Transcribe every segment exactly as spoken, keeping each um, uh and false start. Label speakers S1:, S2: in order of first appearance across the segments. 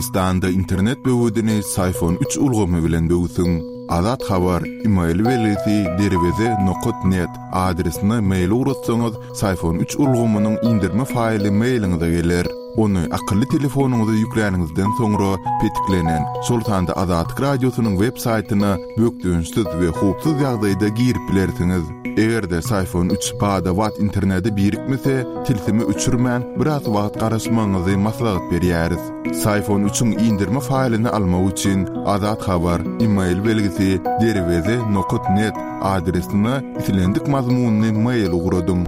S1: Türkmenistanda internet böwedini Syfon üç ulgamy bilen böwsüň. Azat Habar, e-mail belgisi derweze nokat net adresine mail ugratsaňyz, Syfon üç ulgamynyň indirme faýly mailiňize geler. Ony akylly telefonyňyza ýükläniňizden soňra petiklenen, şol sanda Azatlyk Radiosynyň web saýtyna bökdençsiz we howpsuz ýagdaýda girip bilersiňiz. Eger-de Syfon üç bada-bat internete birikmese, tilsimi öçürmän biraz wagt garaşmagyňyzy maslahat berýäris. Syfon üçiň indirme faýlyny almak üçin Azat Habar, e-mail belgisi derweze nokat net adresine islendik mazmunyny mail ugradyň.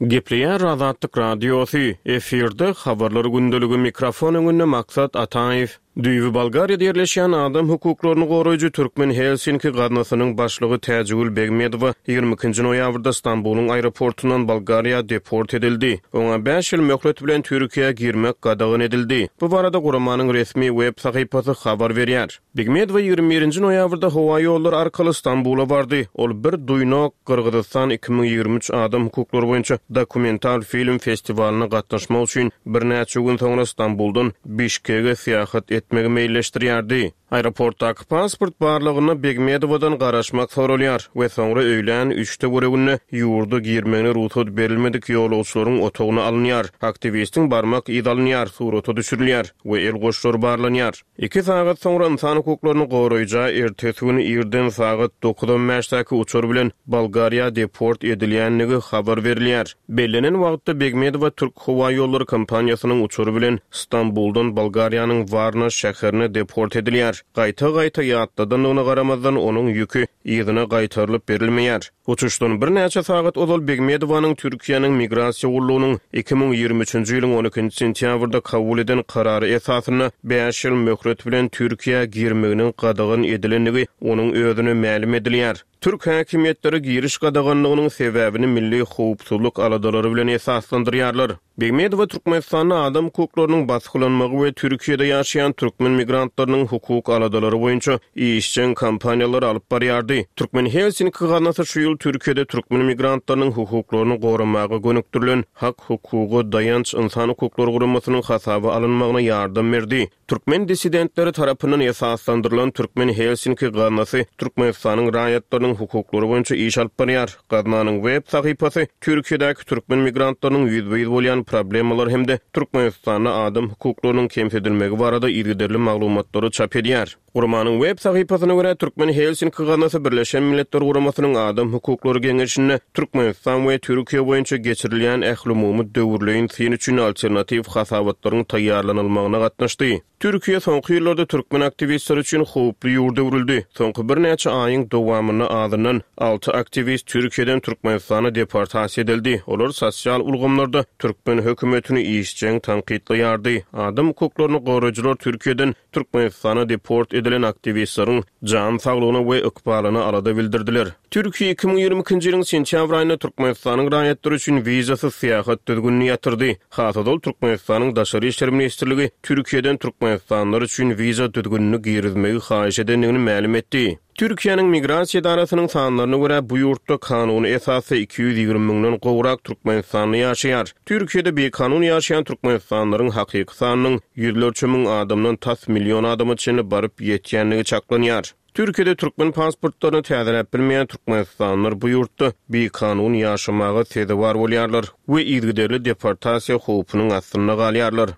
S2: Gepleýär Azatlyk Radiosy, efirde habarlar gündeligi, mikrofon öňünde Maksat Ataýew. Düýbi Bolgariýada ýerleşýän adam hukuklaryny goraýjy Türkmen Helsinki gaznasynyň başlygy Täjigül Begmedowa ýigrimi ikinji noýabrda Stambulyň aeroportundan Bolgariýa deport edildi. Oňa bäş ýyl möhlet bilen Türkiýä girmek gadagan edildi. Bu barada guramanyň resmi web sahypasy habar berýär. Begmedowa ýigrimi birinji noýabrda howa ýollary arkaly Stambula bardy. Ol bir duýnok Gyrgyzystan iki müň ýigrimi üç adam hukuklary boýunça dokumental film festiwalyna gatnaşmak üçin birnäçe gün soňra Stambuldan Bişkege syýahat etmegi meýilleşdirýärdi. Aeroportdaky pasport barlagyna Begmedowadan garaşmak soralýar we soňra öýlän üçde göreginde ýurda girmegine rugsat berilmedik ýolagçylaryň otagyna alynýar. Aktiwistiň barmak yz alynýar, surata düşürilýär we el goşlary barlanýar. Iki sagat soňra insan hukuklaryny goraýja ertesi güni irden sagat dokuz on bäşdäki uçar bilen Bolgariýa deport edilýänligi habar berilýär. Bellenen wagtda Begmedowa Türk Howa Ýollary kompaniýasynyň uçary bilen Stambuldan Bolgariýanyň Warna şäherine deport edilýär. Gaýta-gaýta ýatladandygyna garamazdan onuň ýüki yzyna gaýtarylyp berilmeýär. Uçuşdan birnäçe sagat ozal Begmedowanyň Türkiýäniň migrasiýa gullugynyň iki müň ýigrimi üçünji ýylyň on ikinji sentýabrda kabul eden karary esasynda bäş ýyl möhlet bilen Türkiýä girmeginiň gadagan edilendigi onuň özüne mälim edilýär. Türk häkimiýetleri giriş gadaganlygynyň sebäbini milli howpsuzlyk aladalary bilen esaslandyrýarlar. Begmedowa Türkmenistanda adam hukuklarynyň basgylanmagy we Türkiýede ýaşaýan türkmen migrantlarynyň hukuk aladalary boýunça işjeň kampaniýalary alyp barýardy. Türkmen Helsinki gaznasy şu ýyl Türkiýede türkmen migrantlarynyň hukuklaryny goramaga gönükdirilen Hak hukugy daýanç insan hukuklary guramasynyň hasaba alynmagyna ýardam berdi. Türkmen dissidentleri tarapyndan esaslandyrylan Türkmen Helsinki gaznasy Türkmenistanyň raýatlarynyň hukuklary boýunça iş alyp barýar. Gaznanyň web sahypasy Türkiýedäki türkmen migrantlarynyň ýüzbe-ýüz bolýan problemalar hem-de Türkmenistanda adam hukuklarynyň kemsidilmegi barada yzygiderli maglumatlary çap edýär. Guramanyň web sahypasyna görä Türkmen Helsinki gaznasy Birleşen Milletler Guramasynyň Adam Hukuklary Geňeşinde Türkmenistan we Türkiýe boýunça geçirilýän ählumumy döwürleýin syn üçin alternatiw hasabatlaryň taýýarlanylmagyna gatnaşdy. Türkiýe soňky ýyllarda türkmen aktiwistleri üçin howply ýurt öwrüldi. Soňky birnäçe aýyň dowamynda azyndan alty aktiwist Türkiýeden Türkmenistana deportasiýa edildi. Olar sosial ulgamlarda türkmen hökümetini işjeň tankytlaýardy. Adam hukuklaryny goraýjylar Türkiýeden Türkmenistana deport edilen aktiwistleriň jan saglygyna we ykbalyna alada bildirdiler. Türkiýe iki müň ýigrimi ikinji ýylyň sentýabr aýynda Türkmenistanyň raýatlary üçin wizasyz syýahat düzgünini ýatyrdy. Hasazol Türkmenistanyň Daşary Işler Ministrligi Türkiýeden Türkmenistanlylar üçin wiza düzgünini girizmegi haýyş edendigini mälim etdi. Türkiýäniň migrasiýa edarasynyň sanlaryna görä bu ýurtda kanuny esasda iki ýüz ýigrimi müňden gowrak Türkmenistanly ýaşaýar. Türkiýede bekanun ýaşaýan Türkmenistanlylaryň hakyky sanynyň ýüzlerçe müň adamdan tas milyon adama çenli baryp ýetýändigi çaklanýar. Türkiýede türkmen pasportlaryny täzeläp bilmeýän Türkmenistanlylar bu ýurtda bekanun ýaşamaga sezewar bolýarlar we yzygiderli deportasiýa howpunyň astynda galýarlar.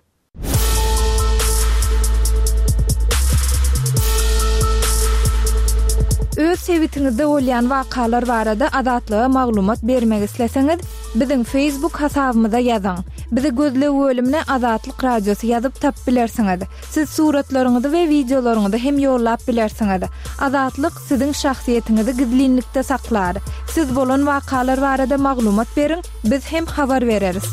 S3: Öz sebitiňizde bolýan wakalar barada Azatlyga maglumat bermek isleseňiz, biziň Facebook hasabymyza ýazyň. Bizi gözleg bölümine Azatlyk Radiosy ýazyp tap bilersiňiz. Siz suratlaryňyzy we wideolaryňyzy hem ýollap bilersiňiz. Azatlyk siziň şahsyýetiňizi gizlinlikde saklar. Siz bolan wakalar barada maglumat beriň, biz hem habar bereris.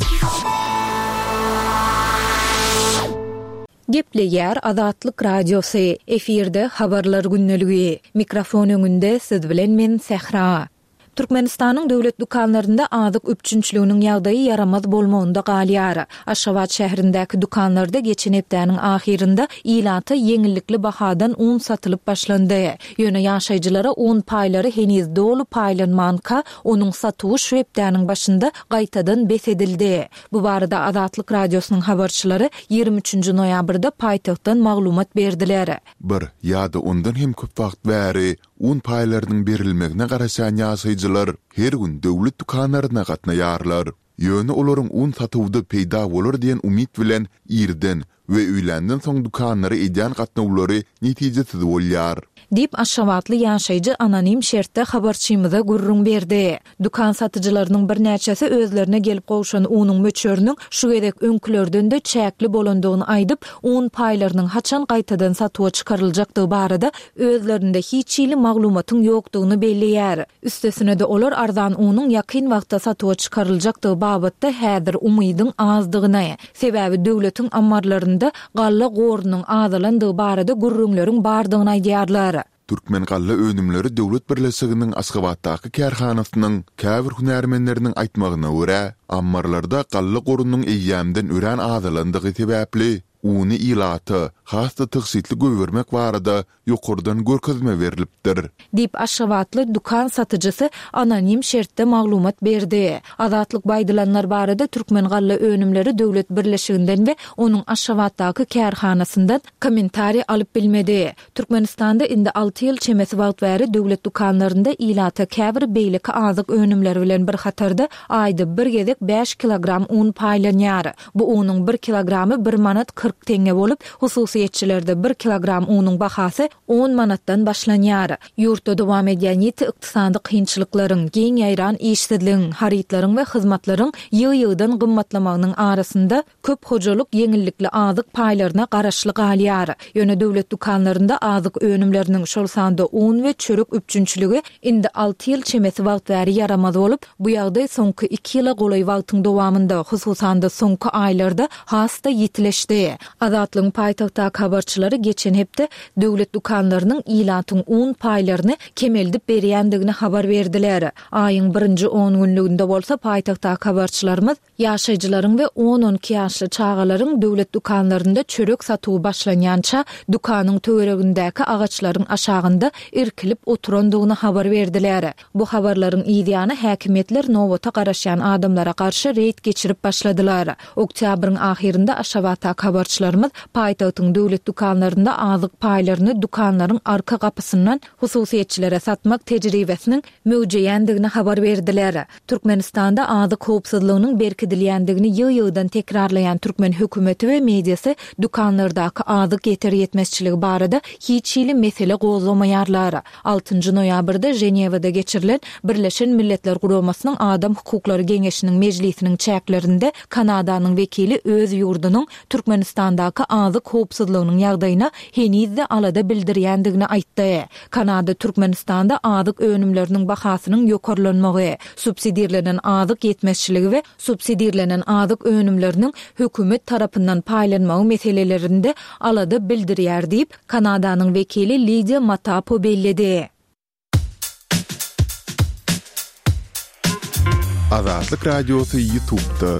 S4: Gepleýär Azatlyk Radiosy, efirde habarlar gündeligi. Mikrofon öňünde siz bilen men Sähra. Türkmenistanyň döwlet dükanlarynda azyk üpjünçiliginiň ýagdaýy ýaramaz bolmagynda galýar. Aşgabat şäherindäki dükanlarda geçen hepdäniň ahyrynda ilata ýeňillikli bahadan un satylyp başlandy. Ýöne ýaşaýjylara un paýlary heniz doly paýlanmanka, onuň satuwy şu hepdäniň başynda gaýtadan bes edildi. Bu barada Azatlyk Radiosynyň habarçylary ýigrimi üçünji noýabrda paýtagtdan maglumat berdiler.
S1: Bir ýa-da ondan hem köp wagt bäri un paýlarynyň berilmegine garaşýan ýaşaýjylar her gün döwlet dükanlaryna gatnaýarlar. Ýöne olaryň un satuwda peýda bolar diýen umyt bilen irden we öýländen soň dükanlara edýän gatnawlary netijesiz bolýar.
S4: Diýip, aşgabatly ýaşaýjy anonim şertde habarçymyza gürrüň berdi. Dükan satyjylarynyň birnäçesi özlerine gelip gowşan unuň möçberiniň şu gezek öňkülerden-de çäkli bolandygyny aýdyp, un paýlarynyň haçan gaýtadan satuwa çykaryljakdygy barada özlerinde hiç hili maglumatyň ýokdugyny belleýär. Üstesine-de olar arzan unuň ýakyn wagtda satuwa çykaryljakdygy babatda häzir umydyň azdygyny, sebäbi döwletiň ammarlarynda galla gorunyň azalandygy barada gürrüňleriň bardygyny aýdýarlar.
S1: Türkmen galla önümleri döwlet birleşiginiň Aşgabatdaky kärhanasynyň käbir hünärmenleriniň aýtmagyna görä, ammarlarda galla gorunyň eýýämden örän azalandygy sebäpli, uny ilata has-da tygşytly goýbermek barada ýokardan görkezme berlipdir.
S4: Diýip, aşgabatly dükan satyjysy anonim şertde maglumat berdi. Azatlyk bu aýdylanlar barada Türkmen galla önümleri döwlet birleşiginden we onuň Aşgabatdaky kärhanasyndan kommentariý alyp bilmedi. Türkmenistanda indi alty ýyl çemesi wagt bäri döwlet dükanlarynda ilata käbir beýleki azyk önümleri bilen bir hatarda aýda bir gezek bäş kilogram un paýlanýar. Bu unuň bir kilogramy bir manat kyrk teňňe bolup, hususyýetçilerde bir kilogram unuň bahasy on manatdan başlanýar. Ýurtda dowam edýän ýiti ykdysady kynçylyklaryň, giň ýaýran işsizligiň, harytlaryň we hyzmatlaryň ýygy-ýygydan gymmatlamagynyň arasynda köp hojalyk ýeňillikli azyk paýlaryna garaşly galýar. Ýöne döwlet dükanlarynda azyk önümleriniň, şol sanda un we çörek üpjünçiligi indi alty ýyl çemesi wagt bäri ýaramaz bolup, bu ýagdaý soňky iki ýyla golaý wagtyň dowamynda, hususan-da soňky aýlarda has-da ýitileşdi. Azatlygyň paýtagtdaky habarçylary geçen hepde döwlet dükanlarynyň ilatyň un paýlaryny kemeldip berýändigini habar berdiler. Aýyň birinji on günlüginde bolsa paýtagtdaky habarçylarymyz ýaşaýjylaryň we on-on iki ýaşly çagalaryň döwlet dükanlarynda çörek satuwy başlanýança dükanyň töweregindäki agaçlaryň aşagynda irkilip oturandygyny habar berdiler. Bu habarlaryň ýany häkimiýetler nobata garaşýan adamlara garşy reýd geçirip başladylar. Oktýabryň ahyrynda Aşgabatdaky habarçylarymyz paýtagtyň döwlet dükanlarynda azyk paýlaryny dükanlaryň arka gapysyndan hususyýetçilere satmak tejribesiniň möwjeýändigini habar berdiler. Türkmenistanda azyk howpsuzlygynyň berkidilýändigini ýygy-ýygydan tekrarlaýan türkmen hökümeti we mediasy dükanlardaky azyk ýeter ýetmezçiligi barada hiç hili mesele gozgamaýarlar. Altynjy noýabrda Ženewada geçirilen Birleşen Milletler Guramasynyň Adam Hukuklary Geňeşiniň mejlisiniň çäklerinde Kanadanyň wekili öz ýurdunyň Türkmenistandaky azyk howpsuzlygynyň ýagdaýyna henizde alada bildirýändigini aýtdy. Kanada Türkmenistanda azyk önümleriniň bahasynyň ýokarlanmagy, subsidirlenen azyk ýetmezçiligi we subsidirlenen azyk önümleriniň hökümet tarapyndan paýlanmagy meselelerinde alada bildirýär diýip, Kanadanyň wekili Lidiýa Matapo belledi.
S1: Azatlyk Radiosy YouTube'da.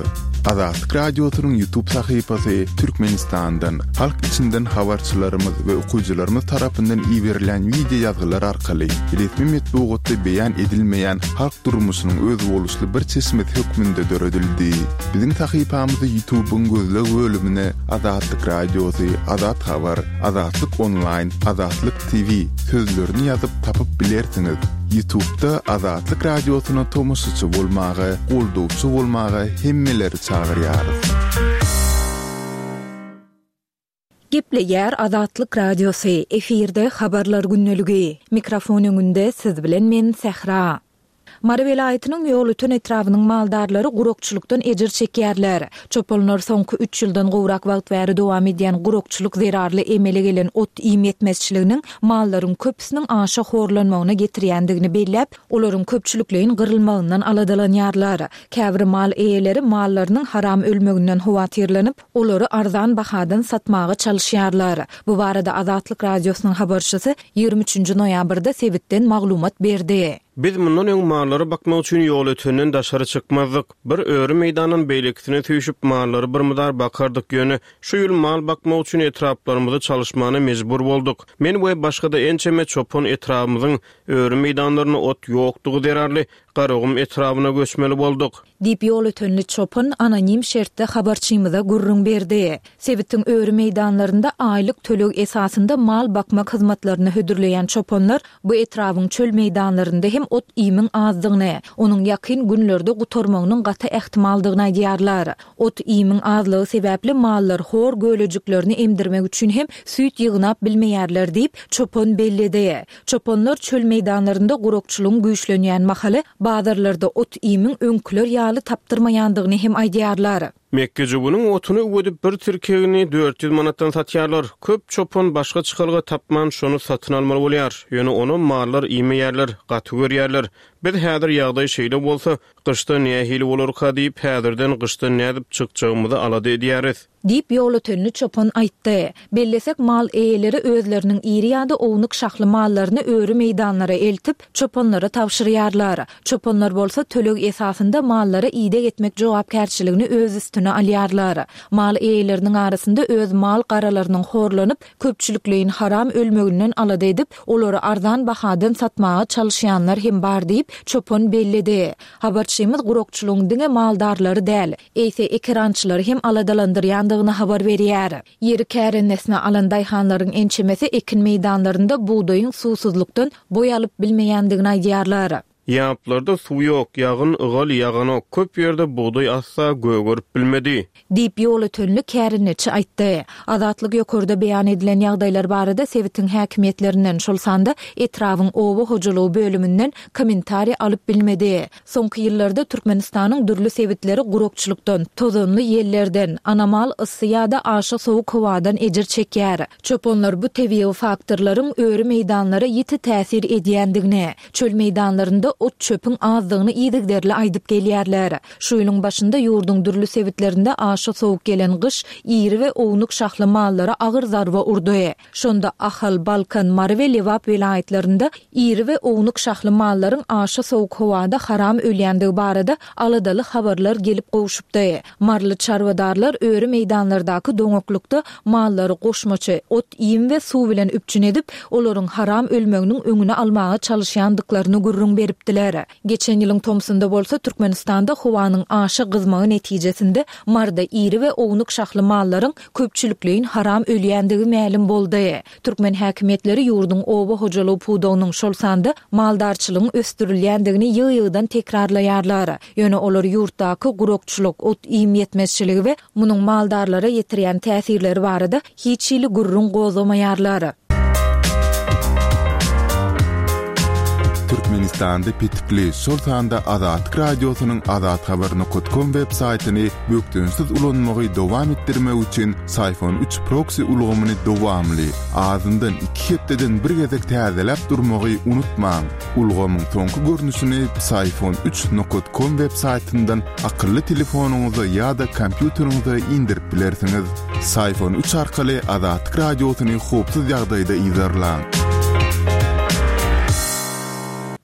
S1: Azatlyk Radiosynyň YouTube sahypasy Türkmenistandan, halk içinden habarçylarymyz we okyjylarymyz tarapyndan iberilen video ýazgylar arkaly resmi metbugatda beýan edilmeýän halk durmuşynyň özboluşly bir çeşmesi hökmünde döredildi. Biziň sahypamyzy YouTube'yň gözleg bölümine Azatlyk Radiosy, Azat Habar, Azatlyk Online, Azatlyk T V sözlerini ýazyp tapyp bilersiňiz. YouTube'da Azatlyk Radiosyna tomaşaçy bolmaga, goldawçy bolmaga hemmeleri çagyrýarys.
S4: Gepleýär Azatlyk Radiosy, efirde habarlar gündeligi. Mikrofon öňünde siz bilen men Sähra. Mary welaýatynyň Ýolöten etrabynyň maldarlary gurakçylykdan ejir çekýärler. Çopanlar soňky üç ýyldan gowrak wagt bäri dowam edýän gurakçylyk zerarly emele gelen ot iým ýetmezçiliginiň mallaryň köpüsiniň aşa horlanmagyna getirýändigini belläp, olaryň köpçülikleýin gyrylmagyndan aladalanýarlar. Käbir mal eýeleri mallarynyň haram ölmeginden howatyrlanyp, olary arzan bahadan satmaga çalyşýarlar. Bu barada Azatlyk Radiosynyň habarçysy ýigrimi üçünji noýabrda sebitden maglumat berdi.
S2: Biz mundan öň mallary bakmak üçin Ýolötenden daşary çykmazdyk. Bir öri meýdandan beýlekisine süýşüp mallary bir mydar bakardyk, ýöne şu ýyl mal bakmak üçin etraplarymyzy çalyşmana mejbur bolduk. Men we başga-da ençeme çopan etrabymyzyň öri meýdanlarynda ot ýokdugy zerarly Garagum etrabyna göçmeli bolduk.
S4: Diýip, ýolötenli çopan anonim şertde habarçymyza gürrüň berdi. Sebitiň öri meýdanlarynda aýlyk töleg esasynda mal bakmak hyzmatlaryny hödürleýän çopanlar bu etrabyň çöl meýdanlarynda hem ot-iýmiň azdygyny, onuň ýakyn günlerde gutarmagynyň gaty ähtimaldygyny aýdýarlar. Ot-iýmiň azlygy sebäpli mallar hor gölejiklerini emdirmek üçin hem süýt ýygnap bilmeýärler diýip, çopan belledi. Çopanlar çöl meýdanlarynda gurakçylygyň güýçlenýän mahaly bazarlarda ot-iýmiň öňküler ýaly tapdyrmaýandygyny hem aýdýarlar.
S2: Mekgejöweniň otuny üwedip bir tirkegini dört ýüz manatdan satýarlar. Köp çopan başga çykalga tapman şony satyn almaly bolýar. Ýöne ony mallar iýmeýärler, gaty görýärler. Biz häzir ýagdaý şeýle bolsa, gyşda nähili bolarka diýip, häzirden gyşda nädip çykjagymyzy alada edýäris.
S4: Diýip, ýolötenli çopan aýtdy. Bellesek, mal eýeleri özleriniň iri ýa-da ownuk şahly mallaryny öri meýdanlara eltip, çopanlara tabşyrýarlar. Çopanlar bolsa töleg esasynda mallara ideg etmek jogapkärçiligini öz üstüne alýarlar. Mal eýeleriniň arasynda öz mal-garalarynyň horlanyp, köpçülikleýin haram ölmeginden alada edip, olary arzan bahadan satmaga çalyşýanlar hem bar diýip, çopan belledi. Habarçymyz gurakçylygyň diňe maldarlary däl, eýse ekerançylary hem aladalandyrýandygyny habar berýär. Ýeri kärendesine alan daýhanlaryň ençemesi ekin meýdanlarynda bugdaýyň suwsuzlykdan boý alyp bilmeýändigini aýdýarlar.
S2: Ýaplarda suw ýok, ýagyn ygal ýaganok, köp ýerde bugdaý asla gögerip bilmedi.
S4: Diýip, ýolötenli kärendeçi aýtdy. Azatlyk ýokarda beýan edilen ýagdaýlar barada sebitiň häkimiýetlerinden, şol sanda etrabyň oba hojalygy bölüminden kommentariý alyp bilmedi. Soňky ýyllarda Türkmenistanyň dürli sebitleri gurakçylykdan, tozanly ýellerden, anomal yssy ýa-da aşa sowuk howadan ejir çekýär. Çopanlar bu tebigy faktorlaryň öri meýdanlara ýiti täsir edýändigini, çöl meýdanlarynda ot-çöpüň azdygyny yzygiderli aýdyp gelýärler. Şu ýylyň başynda ýurduň dürli sebitlerinde aşa sowuk gelen gyş iri we ownuk şahly mallara agyr zarba urdy. Şonda Ahal, Balkan, Mary we Lebap welaýatlarynda iri we ownuk şahly mallaryň aşa sowuk howada haram ölýändigi barada aladaly habarlar gelip gowşupdy. Maryly çarwadarlar öri meýdanlardaky doňaklykda mallary goşmaça ot-iým we suw bilen üpjün edip, olaryň haram ölmeginiň öňüni almaga çalyşýandyklaryny gürrüň beripdiler. Geçen ýylyň tomsunda bolsa Türkmenistanda howanyň aşa gyzmagy netijesinde Maryda iri we ownuk şahly mallaryň köpçülikleýin haram ölýändigi mälim boldy. Türkmen häkimiýetleri ýurduň oba hojalygy pudagynyň, şol sanda maldarçylygyň ösdürilýändigini ýygy-ýygydan tekrarlaýarlar. Ýöne olar ýurtdaky gurakçylyk, ot-iým ýetmezçiligi we munuň maldarlara ýetirýän täsirleri barada hiç hili gürrüň gozgamaýarlar.
S1: Türkmenistanda petikli, şol sanda Azatlyk Radiosynyň azathabar nokat kom web saýtyny bökdençsiz ulanmagy dowam etdirmek üçin Syfon üç proksi ulgamyny dowamly, azyndan iki hepdeden bir gezek täzeläp durmagy unutmaň. Ulgamyň soňky görnüşini Syfon üç nokat kom web saýtyndan akylly telefonyňyza ýa-da kompýuteriňize indirip bilersiňiz. Syfon üç arkaly Azatlyk Radiosyny howpsuz ýagdaýda yzarlaň.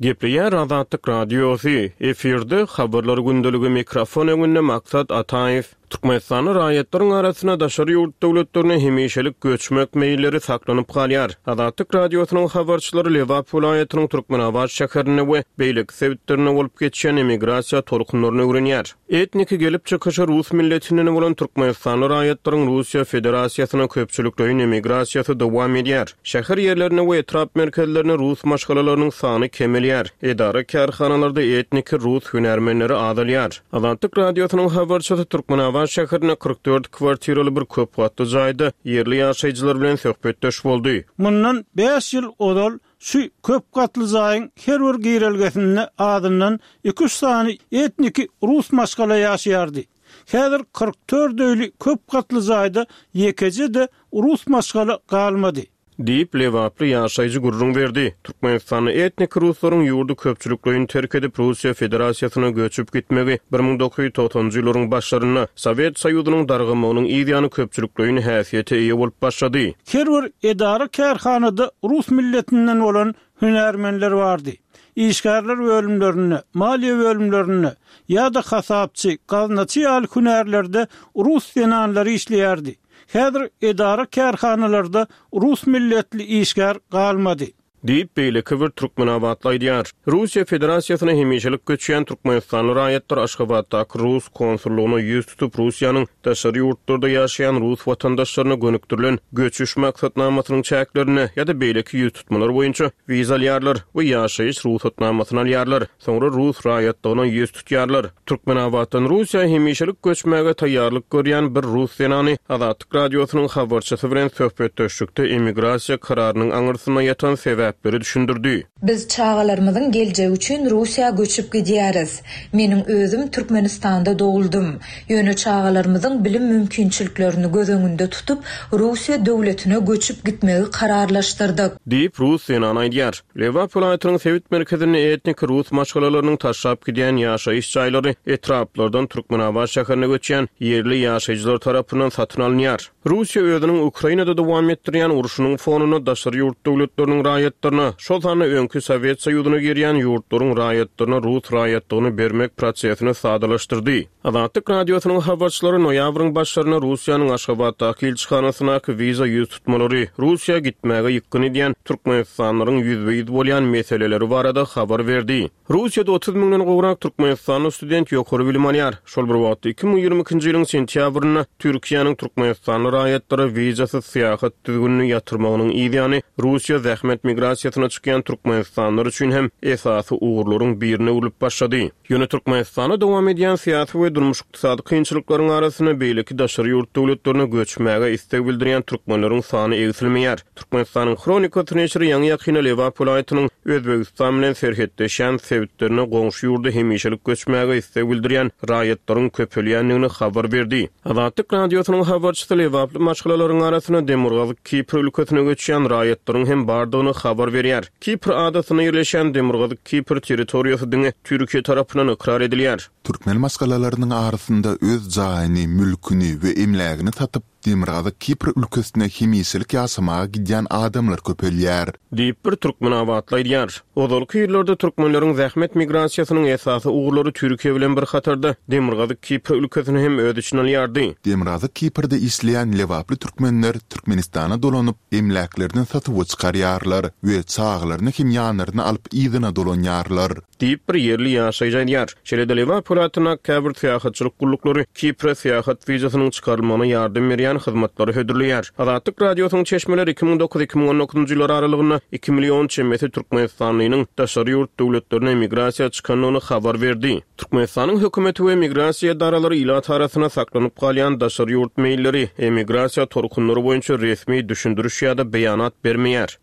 S2: Gepleýär Azatlyk Radiosy, efirde habarlar gündeligi mikrofon öňünde Maksat Ataýew. Türkmenistanda raýatlaryň arasynda daşary ýurt döwletlerine hemişelik göçmek meýilleri saklanyp galýar. Azatlyk Radiosynyň habarçylary Lebap welaýatynyň Türkmenabat şäherinde we beýleki sebitlerinde bolup geçýän emigrasiýa tolkunlaryny öwrenýär. Etniki gelip çykyşy rus milletinden bolan Türkmenistanly raýatlaryň Russiýa Federasiýasyna köpçülikleýin emigrasiýasy dowam edýär. Şäher ýerlerinde we etrap merkezlerinde rus maşgalalarynyň sany kemelýär. Edara kärhanalarda etniki rus hünärmenleri azalýar. Azatlyk Radiosynyň habarçysy Türkmenabat şäherinde kyrk dört kwartiraly bir köp gatly jaýda ýerli ýaşaýjylar bilen söhbetdeş boldy.
S5: Mundan bäş ýyl ozal şu köp gatly jaýyň her bir girelgesinde azyndan iki-üç sany etniki rus maşgala ýaşaýardy. Häzir kyrk dört öýli köp gatly jaýda ýekeje-de rus maşgala galmady.
S2: Diýip, lebaply ýaşaýjy gürrüň berdi. Türkmenistanda etnik ruslaryň ýurdy köpçülikleýin terk edip Russiýa Federasiýasyna göçüp gitmegi bir müň dokuz ýüz togsanjy ýyllaryň başlarynda Sowet Soýuzynyň dargamagynyň yz ýany köpçülikleýin häsiýete eýe bolup başlady.
S5: Her bir edara-kärhanada rus milletinden bolan hünärmenler bardy. Işgärler bölümlerinde, maliýe bölümlerinde ýa-da hasapçy, gaznaçy ýaly hünärlerde rus zenanlary işleýärdi. Häzir edara-kärhanalarda rus milletli işgär galmady.
S2: Diýip, beýleki bir türkmenabatly aýdýar. Russiýa Federasiýasyna hemişelik göçýän türkmenistanly raýatlar Aşgabatdaky rus konsullygyna ýüz tutup, Russiýanyň daşary ýurtlarda ýaşaýan rus watandaşlaryna gönükdirilen göçüş maksatnamasynyň çäklerinde ýa-da beýleki ýüz tutmalar boýunça wiza alýarlar we ýaşaýyş rugsatnamasyny alýarlar. Soňra rus raýatlygyna ýüz tutýarlar. Türkmenabatdan Russiýa hemişelik göçmäge taýýarlyk görýän bir rus zenany Azatlyk Radiosynyň habarçysy bilen söhbetdeşlikde emigrasiýa kararynyň aňyrsynda ýatan sebäpleri düşündirdi.
S6: Biz çagalarymyzyň geljegi üçin Russiýa göçüp gidýäris. Meniň özüm Türkmenistanda doguldym. Ýöne çagalarymyzyň bilim mümkinçiliklerini göz öňünde tutup, Russiýa döwletine göçüp gitmegi kararlaşdyrdyk.
S2: Diýip, rus zenany aýdýar. Lebap welaýatynyň sebit merkezinde etniki rus maşgalalarynyň taşlap gidýän ýaşaýyş jaýlary etraplardan Türkmenabat şäherine göçýän ýerli ýaşaýjylar tarapyndan satyn alynýar. Russiýa özüniň Ukrainada dowam etdirýän urşunyň fonunda daşary ýurt döwletleriniň raýatlaryna, şol sanda öňki Sowet Soýuzyna girýän ýurtlaryň raýatlaryna rus raýatlygyny bermek prosesini sadalaşdyrdy. Azatlyk Radiosynyň habarçylary noýabryň başlarynda Russiýanyň Aşgabatdaky ilçihanasyndaky wiza ýüz tutmalary, Russiýa gitmäge ýykgyn edýän türkmenistanlylaryň ýüzbe-ýüz bolýan meseleleri barada habar berdi. Russiýada otuz müňden gowrak türkmenistanly student ýokary bilim alýar. Şol bir wagtda iki müň ýigrimi ikinji ýylyň sentýabrynda Türkiýäniň türkmenistanly raýatlara wizasyz syýahat düzgünini ýatyrmagynyň yzýany Russiýa zähmet migrasiýasyna çykýan türkmenistanlylar üçin hem esasy ugurlaryň birine öwrülip başlady. Ýöne Türkmenistanda dowam edýän syýasy we durmuş-ykdysady kynçylyklaryň arasynda beýleki daşary ýurt döwletlerine göçmäge isleg bildirýän türkmenleriň sany egsilmeýär. Türkmenistanyň Hronikasy neşiri ýaňy-ýakynda Lebap welaýatynyň Özbegistan bilen serhetleşýän sebitlerine goňşy ýurda hemişelik göçmäge isleg bildirýän raýatlaryň köpelýändigini habar berdi. Azatlyk Radiosynyň habarçysy lebaply maşgalalaryň arasynda Demirgazyk Kipr ülkesine göçýän raýatlaryň hem bardygyny habar berýär. Kipr adasynda ýerleşýän Demirgazyk Kipr territoriýasy diňe Türkiýe tarapyndan ykrar edilýär.
S1: Türkmen maşgalalarynyň arasynda öz jaýyny, mülküni we emlägini satyp, Demirgazyk Kipr ülkesine hemişelik ýaşamaga gidýän adamlar köpelýär.
S2: Diýip, bir türkmenabatly aýdýar. Ozalky ýyllarda türkmenleriň zähmet migrasiýasynyň esasy ugurlary Türkiýe bilen bir hatarda Demirgazyk Kipr ülkesini hem öz içine alýardy.
S1: Demirgazyk Kiprde işleýän lebaply türkmenler Türkmenistana dolanyp, emläklerini satuwa çykarýarlar we çagalaryny hem ýanlaryna alyp yzyna dolanýarlar.
S2: Diýip, bir ýerli ýaşaýjy aýdýar. Şeýle-de Lebap welaýatyndaky käbir syýahatçylyk gulluklary Kipre syýahat wizasynyň çykarylmagyna ýardam berýän hyzmatlary hödürleýär. Azatlyk Radiosynyň çeşmeleri iki müň dokuz iki müň on dokuzynjy ýyllar aralygynda iki million çemesi türkmenistanlynyň daşary ýurt döwletlerine migrasiýa çykandygyny habar berdi. Türkmenistanyň hökümeti we migrasiýa edaralary ilat arasynda saklanyp galýan daşary ýurt meýilleri, emigrasiýa tolkunlary boýunça resmi düşündiriş ýa-da beýanat bermeýär.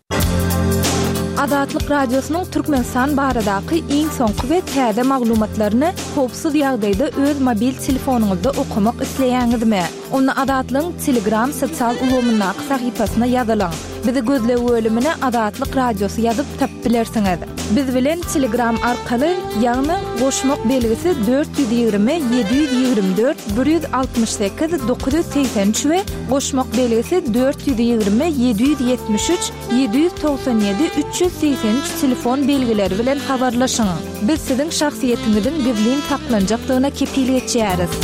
S3: Azatlyk Radiosynyň Türkmenistan baradaky iň soňky we täze maglumatlaryny howpsuz ýagdaýda öz mobil telefonyňyzda okamak isleýäňizmi? Onda Azatlygyň Telegram sosial ulgamyndaky sahypasyna ýazylyň. Bizi gözleg bölümine Azatlyk Radiosy ýazyp tapyp bilersiňiz. Biz bilen Telegram arkaly, ýagny goşmak belgisi dört ýüz ýigrimi, ýedi ýüz ýigrimi dört, bir ýüz altmyş sekiz, dokuz ýüz segsen üç we goşmak belgisi dört ýüz ýigrimi, ýedi ýüz ýetmiş üç, ýedi ýüz togsan ýedi, üç ýüz segsen üç telefon belgileri bilen habarlaşyň. Biz siziň şahsyýetiňiziň gizlin saklanjakdygyna kepil geçýäris.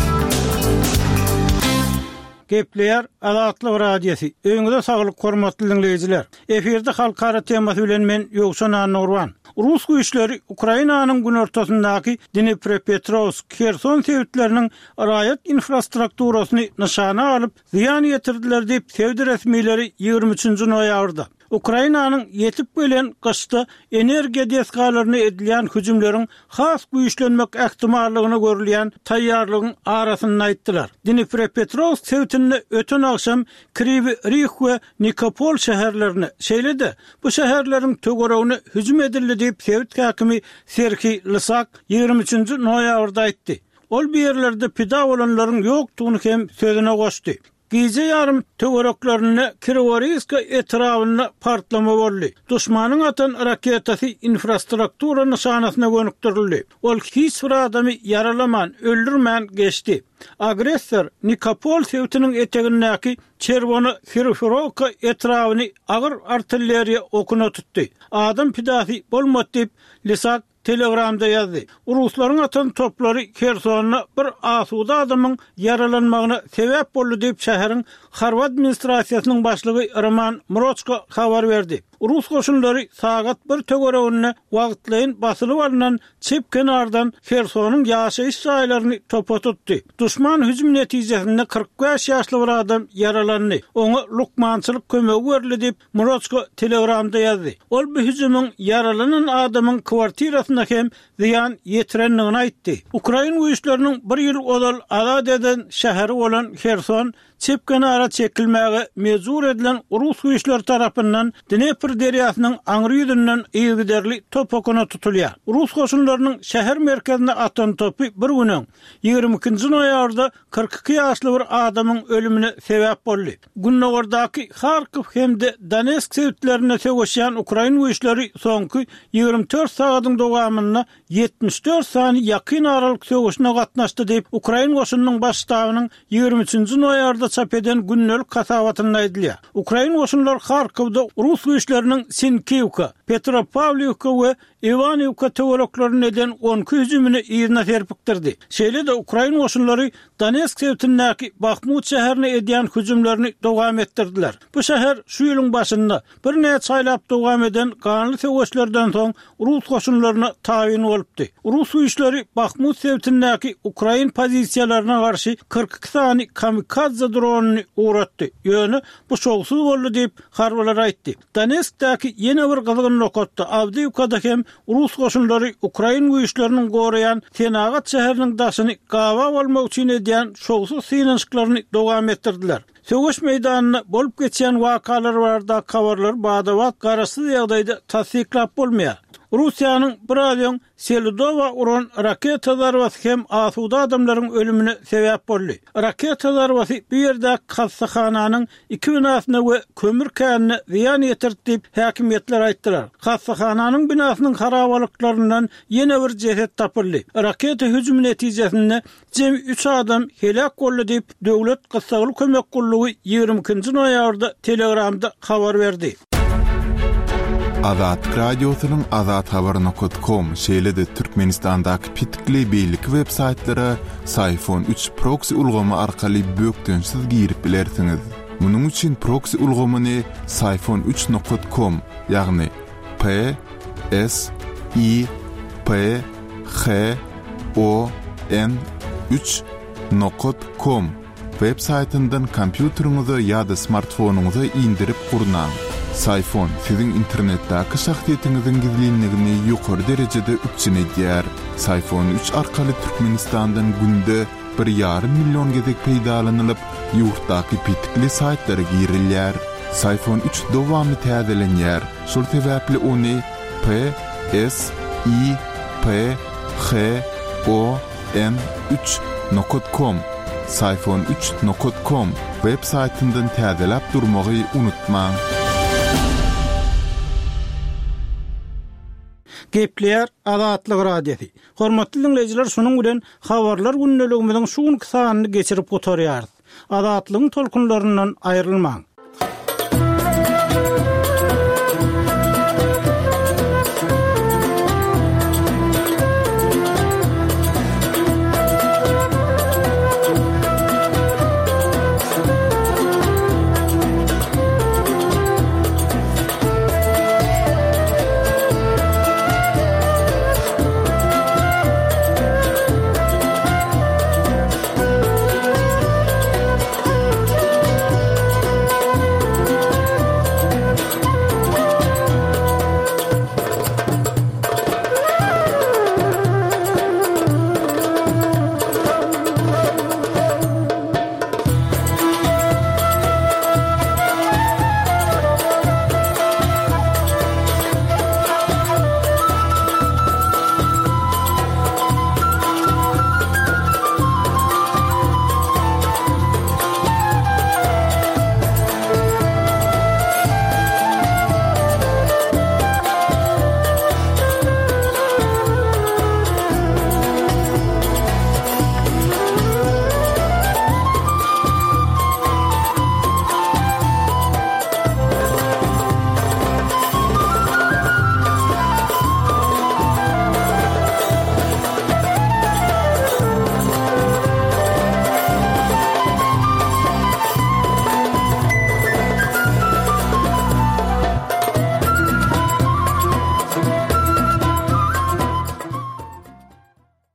S5: Gepleýär Azatlyk Radiosy. Öýüňize saglyk, hormatly diňleýjiler. Efirde halkara temasy bilen men Ýowşan Annagurban. Rus güýçleri Ukrainanyň günortasyndaky Dniprepetrowsk, Herson sebitleriniň raýat infrastrukturasyny nyşana alyp, zyýan ýetirdiler diýip, sebit resmileri ýigrimi üçünji noýabrda Ukrainanyň ýetip gelen gyşda energiýa desgalaryna edilýän hüjümleriň has güýçlenmek ähtimallygyna görülýän taýýarlygyň arasynda aýtdylar. Dniprepetrowsk sebitinde öten agşam Kriwi Rih we Nikopol şäherlerine, şeýle-de bu şäherleriň töweregine hüjüm edildi diýip, sebit häkimi Serhiý Lysak ýigrimi üçünji noýabrda aýtdy. Ol bu ýerlerde pida bolanlaryň ýokdugyny hem sözüne goşdy. Gije ýarym töwereklerinde Kriworiýska etrabynda partlama boldy. Duşmanyň atan raketasy infrastruktura nyşanasyna gönükdirildi. Ol hiç bir adamy ýaralaman, öldürmän geçdi. Agressor Nikopol sebitiniň etegindäki Çerwona Hryhorivka etrabyny agyr artilleriýa okuna tutdy. Adam pidasy bolmady diýip, Lisak Telegramda ýazdy. Ruslaryň atan toplary Hersonda bir asuda adamyň ýaralanmagyna sebäp boldy diýip şäheriň harby administrasiýasynyň başlygy Roman Mroçko habar berdi. Rus goşunlary sagat bir töwereginde wagtlaýyn basylyp alnan çep kenardan Hersonyň ýaşaýyş jaýlaryny topa tutdy. Duşman hüjüm netijesinde kyrk bäş ýaşly bir adam ýaralandy. Oňa lukmançylyk kömegi berildi diýip Mroçko Telegramda ýazdy. Ol bu hüjümiň ýaralanan adamyň kwartirasyna hem zyýan ýetirendigini aýtdy. Ukrain güýçleriniň bir ýyl ozal azat eden şäheri bolan Herson çep kenara çekilmäge mejbur edilen rus güýçleri tarapyndan Dnepr derýasynyň aňry ýüzünden yzygiderli top okuna tutulýar. Rus goşunlarynyň şäher merkezine atan topy bir gün öň, ýigrimi ikinji noýabrda kyrk iki ýaşly bir adamyň ölümine sebäp boldy. Gündogardaky Harkow hem-de Donetsk sebitlerinde söweşýän ukrain güýçleri soňky ýigrimi dört sagadyň dowamynda ýetmiş dört sany ýakyn aralyk söweşine gatnaşdy diýip, ukrain goşunynyň baş ştabynyň ýigrimi üçünji noýabrda çap eden gündelik hasabatynda aýdylýar. Ukrain goşunlary Harkowda rus güýçleriniň Sinkiwka, Petropawliwka we Iwaniwka töwereklerinde eden on iki hüjümini yzyna serpikdirdi. Şeýle-de ukrain goşunlary Donetsk sebitindäki Bahmut şäherine edýän hüjümlerini dowam etdirdiler. Bu şäher şu ýylyň başynda birnäçe aýlap dowam eden ganly söweşlerden soň rus goşunlaryna tabyn bolupdy. Rus güýçleri Bahmut sebitindäki ukrain pozisiýalaryna garşy kyrk iki sany kamikadze dronyny ugratdy. Ýöne bu şowsuz boldy diýip harbylar aýtdy. Donetskdäki ýene bir gyzgyn nokatda Awdiýewkada hem rus goşunlary ukrain güýçleriniň goraýan senagat şäheriniň daşyny gaba bolmak üçin edýän şowsuz synanyşyklaryny dowam etdirdiler. Söweş meýdanynda bolup geçýän wakalar barada habarlar badabat garaşsyz ýagdaýda tassyklap bolmaýar. Russiýanyň biraz öň Selidowa uran raketa zarbasy hem asuda adamlaryň ölümine sebäp boldy. Raketa zarbasy bu ýerde hassahananyň iki binasyna we kömür känine zyýan ýetirdi diýip häkimiýetler aýtdylar. Hassahananyň binasynyň harabalyklaryndan ýene bir jeset tapyldy. Raketa hüjümi netijesinde jemi üç adam helak boldy diýip Döwlet Gyssagly Kömek Gullugy ýigrimi ikinji noýabrda Telegramda habar berdi.
S1: Azatlyk Radiosynyň azathabar nokta com, şeýle-de Türkmenistandaky pitikli beýleki web saýtlara Syfon üç proxy ulgamy arkaly bökdençsiz girip bilersiňiz. Munuň üçin proxy ulgamyny Syfon üç nokta com, ýagny P S I P H O N üç nokta com web saýtyndan kompýuteriňize ýa-da smartfonyňyza indirip gurnaň. Syfon siziň internetdäki şahsyýetiňiziň gizlinligini ýokary derejede üpjün edýär. Syfon üç arkaly Türkmenistandan günde bir ýarym million gezek peýdalanylyp, ýurtdaky pitikli saýtlara girilýär. Syfon üç dowamly täzelenýär. Şol sebäpli ony P S I P H O N üç nokta com, Syfon üç nokta com web saýtyndan täzeläp durmagy unutmaň.
S5: Gepleýär Azatlyk Radiosy. Hormatly dinleýjiler, şunuň bilen habarlar gündeligimiziň şu günki sanyny geçirip gutarýarys. Azatlygyň tolkunlaryndan aýrylmaň.